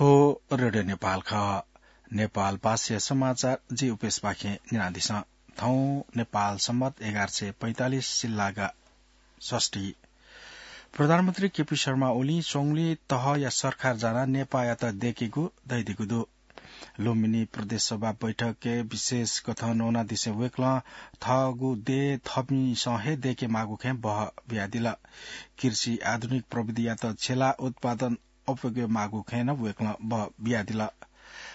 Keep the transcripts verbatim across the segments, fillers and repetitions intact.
थ्व रेडियो नेपाल खः। नेपाल भाषाया समाचार जि उपेशपाखें न्यनादिसँ। थौं नेपाल सम्बत एघार सय पैंतालिस सिल्लागा षष्ठी। प्रधानमन्त्री केपी शर्मा ओलीं स्वंगुलिं तहया सरकार जानाः नेपाःयात दय्केगु धयादीगु दु। लुम्बिनी प्रदेश सभा बैठकय् विशेष कथं नवानादिसें वय्कलं थःगु देय् थःपिन्सं हे दय्के माःगु खँय् बहः बियादिल। कृषि आधुनिक प्रविधियात छ्यलाः उत्पादन अप्वय्के माःगु खँय् नं वय्कलं बहः बियादिल।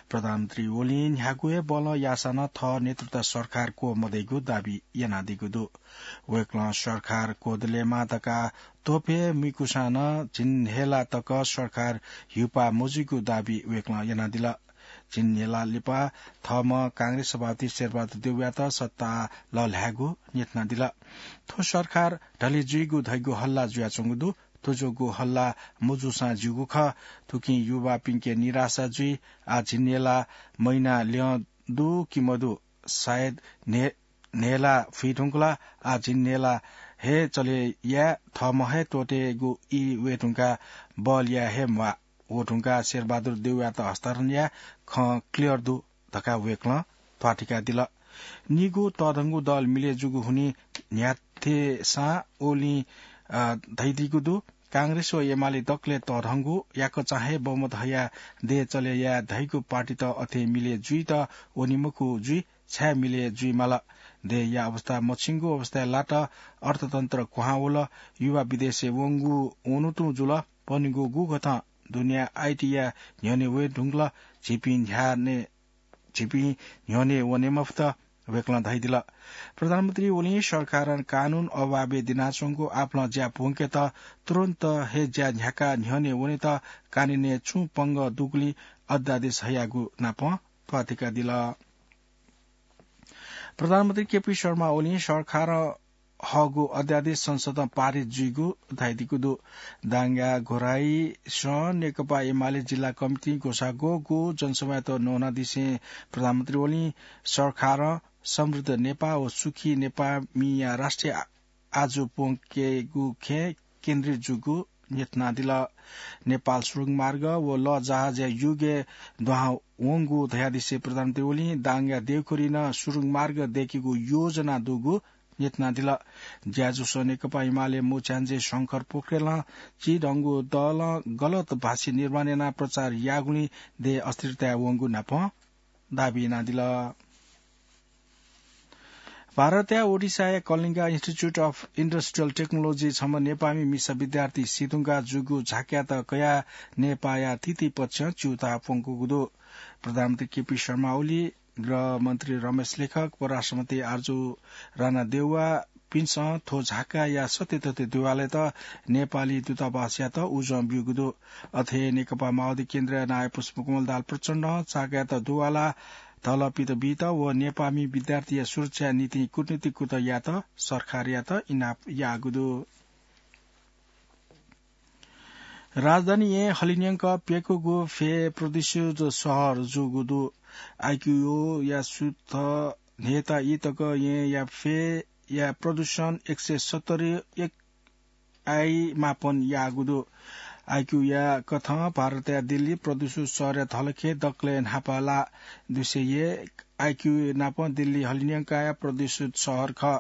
प्रधानमन्त्री ओलीं न्ह्यागु हे बलं याःसां नं थः नेतृत्वया सरकार क्वः मदइगु दाबी यानादीगु दु। वय्कलं सरकार क्वदलेमा धकाः त्वःफे मुइकूसां नं झिंन्हय्ला तक सरकार ह्यूपाः मजुइगु दाबी वय्कलं यानादिल। झिंन्हय्ला लिपा थःम्हं कांग्रेस सभापति शेरबहादुर देउवायात सत्तां लःल्हायेगु न्ह्यथनादिल। थ्व सरकार ढले जुइगु धइगु हल्ला जुयाच्वंगु दु। थ्व जूगु हल्ला मजूसां ज्यूगु खः। थुकिं युवापिन्के निराशा जुइ। आः झिंन्हय्ला महिना ल्यं दु कि मदु, सायद न्हय्-, न्हय्ला फुइधुंकल। आः झिंन्हय्ला हे चले याये, थःम्हं हे त्वःतेगु ई वयेधुंकाः बल याये हे म्वाः। वधुंकाः शेरबहादुर देउवायात हस्तान्तरण याये खँ clear दु धकाः वय्कलं ध्वाथुइकादिल। निगू तःधंगु दल मिले जूगु हुनिं न्ह्याथेसां ओलीं, अ, धयादीगु दु। कांग्रेस व एमाले दकलय् तःधंगु, याकःचां हे बहुमत हयाः देय् चले याये धइगु पार्टीत अथे मिले जुइत वनी मखु जुइ, छाय् मिले जुइमाल? देय्या अवस्था मछिंगु अवस्थाय् लात, अर्थतन्त्र क्वहां वल, युवा विदेशय् वंगु वनेतुं जुल, वनीगु गुकथं दुनियाँ आईटीया न्ह्यःने वये धुंकल, झीपिं न्ह्याने, झीपिं न्ह्यःने वने मफुत, वय्कलं धयादिल। प्रधानमन्त्री ओलीं सरकारं कानून अभावय् दिनाच्वंगु आपालं ज्या प्वंकेत तुरुन्त हे ज्या न्ह्याकाः न्ह्यःने वनेत कानूनय् छुं पंगः दुगुलिं अध्यादेश हयागु नापं ध्वाथुइकादिल। प्रधानमन्त्री केपी शर्मा ओलीं सरकारं हःगु अध्यादेश संसदं पारित जुइगु धयादीगु दु। दाङया घोराइसं नेकपा एमाले जिल्ला कमिटिं ग्वसाः ग्वःगु जनसभायात नवानादिसें प्रधानमन्त्री ओलीं सरकारं समृद्ध नेपाः व सुखी नेपाःमिया राष्ट्रिय आ-, आजु प्वंकेगु खँय् केन्द्रित जूगु न्ह्यथनादिल। नेपाल सुरुङ मार्ग व लःजहाजया युगय् दुहां वंगु धयादिसें प्रधानमन्त्री ओलीं दाङया देउखुरी नं सुरुङ मार्ग दय्केगु योजना दुगु न्ह्यथनादिल। ज्याझ्वलय् नेकपा एमाले मुख्याञ्जे शंकर पोखरेलं चिधंगु दलं गलत भाषित निर्माण यानाः प्रचार याःगुलिं देय् अस्थिरताय् वंगु नापं दाबी यानादिल। भारतया ओडिसाया कलिङ्गा Institute of Industrial Technology छम्ह नेपाःमि मिसा विद्यार्थी सीधुंकाः जूगु झाँक्रियात कयाः नेपाःया थीथीपक्षं च्यूताः प्वंकूगु दु। प्रधानमन्त्री केपी शर्मा ओली, गृहमन्त्री रमेश लेखक, परराष्ट्रमन्त्री आर्जु राणा देउवापिन्सं थ्व झाँक्रियाया सत्तरी दुवालय्त नेपाली दूतावासयात उजं ब्यूगु दु। अथे हे नेकपा माओवादी केन्द्रया नायः पुष्पकमल दाहाल प्रचण्डं झाँक्रियात दुवाला धलपित बीत व नेपाःमि विद्यार्थीया सुरक्षाया निंतिं कूटनीतिक कुतः यायेत सरकारयात इनाप याःगु दु। राजधानी येँ हलिंन्यंक प्यकूगु फय् प्रदूषित शहर जूगु दु। आइक्यूओया सूत्र न्ह्यःत ई तक येँया फय्या प्रदूषण एक सय सत्तरी एक आई मापन याःगु दु। आइक्यूया कथं भारतया दिल्ली प्रदूषित शहरया धलखय् दकलय् न्हापा ला। दुई सय एक आइक्यू नापं दिल्ली हलिंन्यंकाया प्रदूषित शहर खः।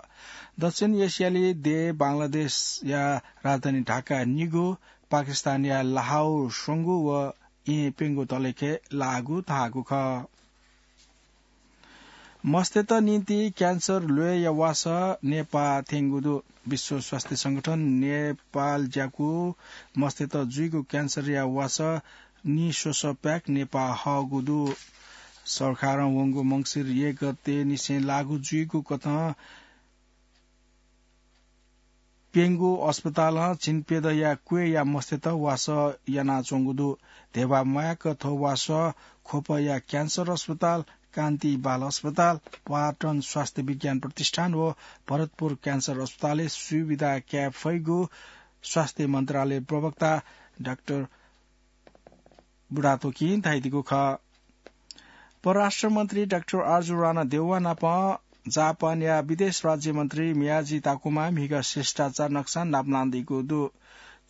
दक्षिण एसियाली देय् बांग्लादेशया राजधानी ढाका निगू, पाकिस्तानया लाहौर स्वंगू व येँ प्यंगू धलखय् लाःगु धाःगु खः। मस्तय्त निंतिं क्यान्सर ल्वय्या वासः नेपाः थ्यंगु दु। विश्व स्वास्थ्य संगठन नेपाल ज्याकू मस्तय्त जुइगु क्यान्सरया वासः निस्वसः pack नेपाः हःगु दु। सरकारं वंगु मंसिर एक गते निसें लागू जुइगु कथं प्यंगू अस्पतालं झिंप्यदँया क्वय्या मस्तय्त वासः यानाच्वंगु दु। ध्यबा म्वाय्क थ्व वासः ख्वपया क्यान्सर अस्पताल, कान्ति बाल अस्पताल, पर्यटन स्वास्थ्य विज्ञान प्रतिष्ठान व भरतपुर क्यान्सर अस्पतालय् सुविधा काये फइगु स्वास्थ्य मन्त्रालय प्रवक्ता डाक्टर बुढाथोकीं धयादीगु खः। परराष्ट्र मन्त्री डाक्टर आर्जु राणा देउवा नाप जापानया विदेश राज्य मन्त्री मियाजी ताकुमा म्हिगः शिष्टाचार नक्सा नापलानादीगु दु।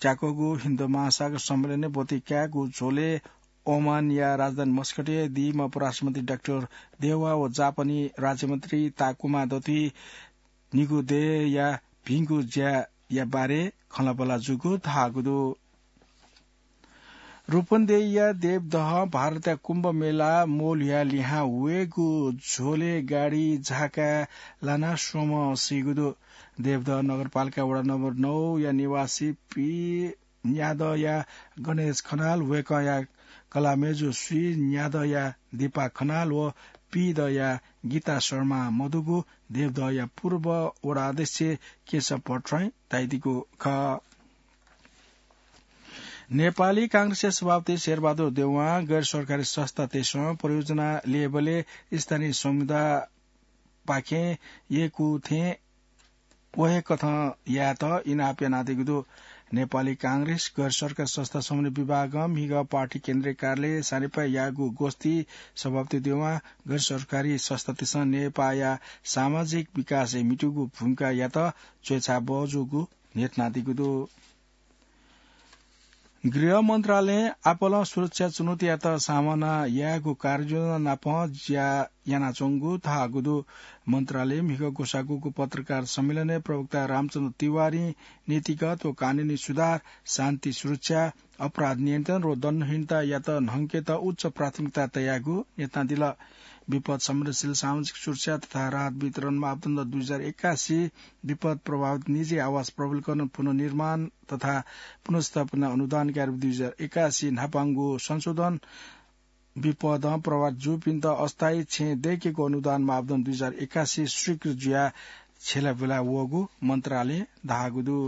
ज्याकूगु हिन्द महासागर सम्मेलनय् ब्वति कायेगु झ्वलय् ओमानया राजधानी मस्कटय् दीम्ह परराष्ट्रमन्त्री डाक्टर देवा व जापानी राज्यमन्त्री ताकुमा दति निगु देय्‌या भिंगु ज्याया बारे खँल्हाबल्हा जूगु धाःगु दु। रूपन्देहीया देवदहं भारतया कुम्भ मेला मोलया लिहां वयेगु झ्वलय् गाडी झाकाय् लानाः स्वम्ह सीगु दु। देवदह नगरपालिका वडा नम्बर नौ या निवासी पी न्यादँया गणेश खनाल, वय्‌कःया कलाःमय्‌जु स्वीन्यादँया दीपा खनाल व पीदँया गीता शर्मा मदुगु देवदहया पूर्व वडा अध्यक्ष केशव भट्टराईं धयादीगु खः। नेपाली कांग्रेसया सभापति शेरबहादुर देउवां गैर सरकारी संस्थातय्‌सं परियोजना ल्ययेबलय् स्थानीय समुदाय पाखें यय्‌कू थें व हे कथं यायेत इनाप यानादीगु दु। नेपाली कांग्रेस गैर सरकारी संस्था समन्वय विभागं म्हिगः पार्टी केन्द्रीय कार्यालय सानेपाय् याःगु गोष्ठी सभापति देउवां गैर सरकारी संस्थातय्‌सं नेपाःया सामाजिक विकासय् म्हितूगु भूमिकायात च्वय्‌छाप बहःजूगु न्ह्यथनादीगु दु। गृह मन्त्रालयं आपालं सुरक्षा चुनौतीयात सामना यायेगु कार्ययोजना नाप ज्या यानाच्वंगु धाःगु दु। मन्त्रालयं म्हिगः ग्वसाःगु पत्रकार सम्मेलनय् प्रवक्ता रामचन्द्र तिवारीं नीतिगत व कानूनी सुधार, शान्ति सुरक्षा, अपराध नियन्त्रण व दण्डहीनतायात न्हंकेत उच्च प्राथमिकता तयागु न्ह्यथनादिल। विपद संवेदनशील सामाजिक सुरक्षा तथा राहत वितरण मापदण्ड दुई हजार एकासी, विपद प्रभावित निजी आवास प्रबलीकरण पुनर्निर्माण तथा पुनर्स्थापना अनुदान कार्य दुई हजार एकासी, न्हापांगु संशोधन, विपदं प्रभावित जूपिन्त अस्थायी छेँ दय्‌केगु अनुदान मापदण्ड दुई हजार एकासी स्वीकृत जुयाः छ्यलाबुला वःगु मन्त्रालयं धाःगु दु।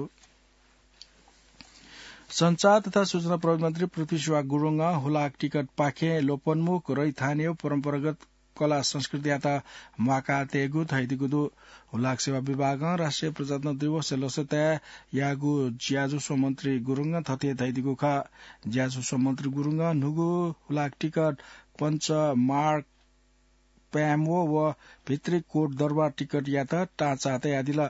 सञ्चार तथा सूचना प्रविधि मन्त्री पृथ्वी सुवाह गुरुङं हुलाक टिकट पाखें लोपोन्मुख, रैथाने व परम्परागत कला संस्कृतियात म्वाका तयेगु धयादीगु दु। हुलाक सेवा विभागं राष्ट्रिय प्रजातन्त्र दिवसया लसताय् याःगु ज्याझ्वः स्वः मन्त्री गुरुङं थथे धयादीगु खः। ज्याझ्वः स्वः मन्त्री गुरुङं न्हूगु हुलाक टिकट पञ्च मार्ग प्याम्वो व भित्री कोट दरबार टिकटयात टाँचा तयादिल।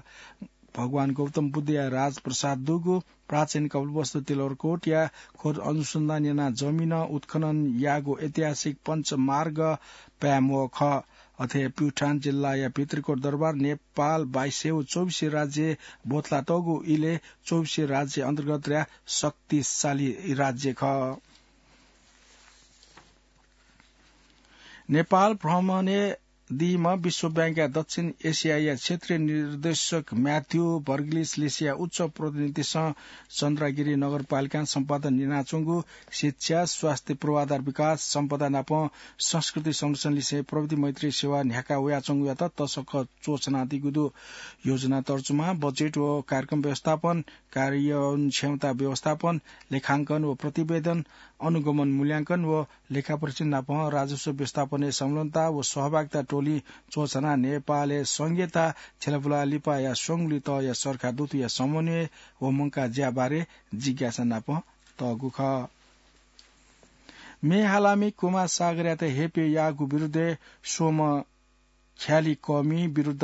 भगवान गौतम बुद्धया राजप्रसाद दुगु प्राचीन कपिलवस्तु तिलवरकोटया खोज अनुसन्धान यानाः जमिन उत्खनन याःगु ऐतिहासिक पञ्चमार्ग प्याम्वः खः। अथे प्युठान जिल्लाया भित्रीकोट दरबार नेपाल बाइस सय व चौबिस राज्य बोथलातःगु इलय् चौबिस राज्य अन्तर्गतया शक्तिशाली राज्य खः। नेपाल भ्रमणय् दीम्ह विश्व बैंकया दक्षिण एसियाया क्षेत्रीय निर्देशक म्याथ्यू बर्गलिसलिसया उच्च प्रतिनिधिसं चन्द्रागिरी नगरपालिकां सम्पादन यानाच्वंगु शिक्षा, स्वास्थ्य पूर्वाधार विकास, सम्पदा नाप संस्कृति संरक्षण लिसें प्रविधि मैत्री सेवा न्ह्याका वयाच्वंगुयात तसकं च्वछनादीगु दु। योजना तर्जुमा, बजेट व कार्यक्रम व्यवस्थापन, कार्यान्वयन क्षमता व्यवस्थापन, लेखांकन व प्रतिवेदन, अनुगमन मूल्यांकन व लेखापरीक्षण नाप राजस्व व्यवस्थापनय् संलग्नता व सहभागिता टोली च्वछानाः नेपालय् संघीयता छ्यलाबुलाः लिपाया स्वंगुलिं तःया सरकार दुथुया समन्वय व मंकाः ज्या बारे जिज्ञासा नाप तःगु खः। म्ये हालामि कुमार सागरयात हेपय् याःगु विरुद्धय् स्वम्ह ख्यालि कःमि विरुद्ध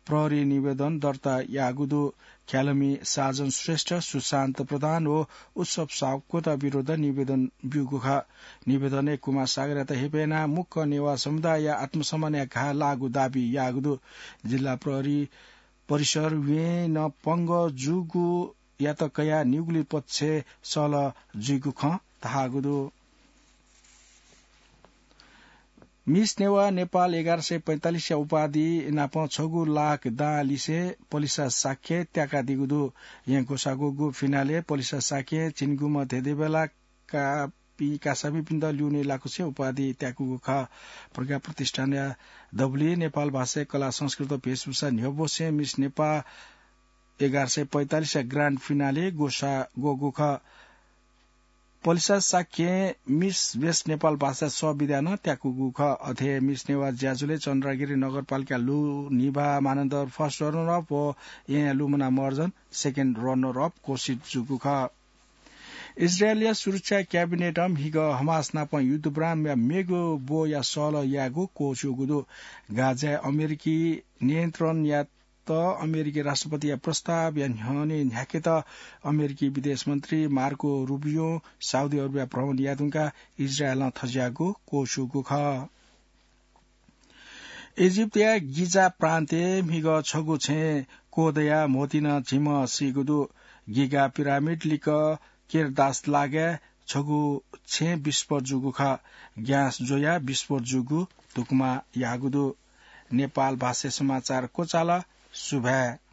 प्रहरी निवेदन दर्ता याःगु दु। ख्यालमि साजन श्रेष्ठ, सुशान्त प्रधान व उत्सव सापकोटा विरुद्ध निवेदन ब्यूगु खः। निवेदनय् कुमार सागरयात हेपय् यानाः मुक्क नेवाः समुदायया आत्मसम्मानया घाः लाःगु दाबी याःगु दु। जिल्ला प्रहरी परिसर वें नं पंगः जूगुयात कयाः निगुलिं पक्षय् सहलह जुइगु खँ धाःगु दु। मिस नेवाः नेपाल एघार सय पैंतालिसया उपाधि नाप छगू लाख दां लिसें पलिसा शाक्यं त्याकादीगु दु। येँ ग्वसाः ग्वःगु फिनालय् पलिसा शाक्यं झिंगुम्ह धेंधेंबेला कापि कासामिपिन्त ल्यूने लाकुसे उपाधि त्याकूगु खः। प्रज्ञा प्रतिष्ठानया दबुलिइ नेपाल भाषाय् कला संस्कृति व भेषभूषा न्ह्यब्वसें मिस नेपाः एघार सय पैंतालिसया ग्रान्ड फिनाले ग्वसाः ग्वःगु खः। पलिसा शाक्यं मिस बेस्ट नेपाल भाषा सः विधाय् नं त्याकूगु खः। अथे मिस नेवाः ज्याझ्वलय् चन्द्रागिरी नगरपालिका लु निभा मानन्धर फर्स्ट रनर अप व येँया लुमना महर्जन सेकेन्ड रनर अप घोषित जूगु खः। इजरायलया सुरक्षा क्याबिनेटं म्हिगः हमास नाप युद्धविरामया मेगु ब्वया सहलह यायेगु क्वःछ्यूगु दु। गाजाय् अमेरिकी नियन्त्रणया अमेरिकी राष्ट्रपतिया प्रस्तावया न्ह्यःने न्ह्याकेत अमेरिकी विदेश मन्त्री मार्को रुबियो साउदी अरबिया भ्रमण यायेधुंकाः इजरायलं थज्याःगु क्वःछूगु खः। इजिप्टया गिजा प्रान्तय् म्हिगः छगू छेँ क्वदयाः म्होतिं झिम्ह सीगु दु। गिगा पिरामिड लिक्क केरदास लागाय् छगू छेँ विस्फोट जूगु खः। ग्यास ज्वयाः विस्फोट जूगु धुकुमा याःगु दु। नेपाल भाषा समाचार क्वचाल। सुभाय्।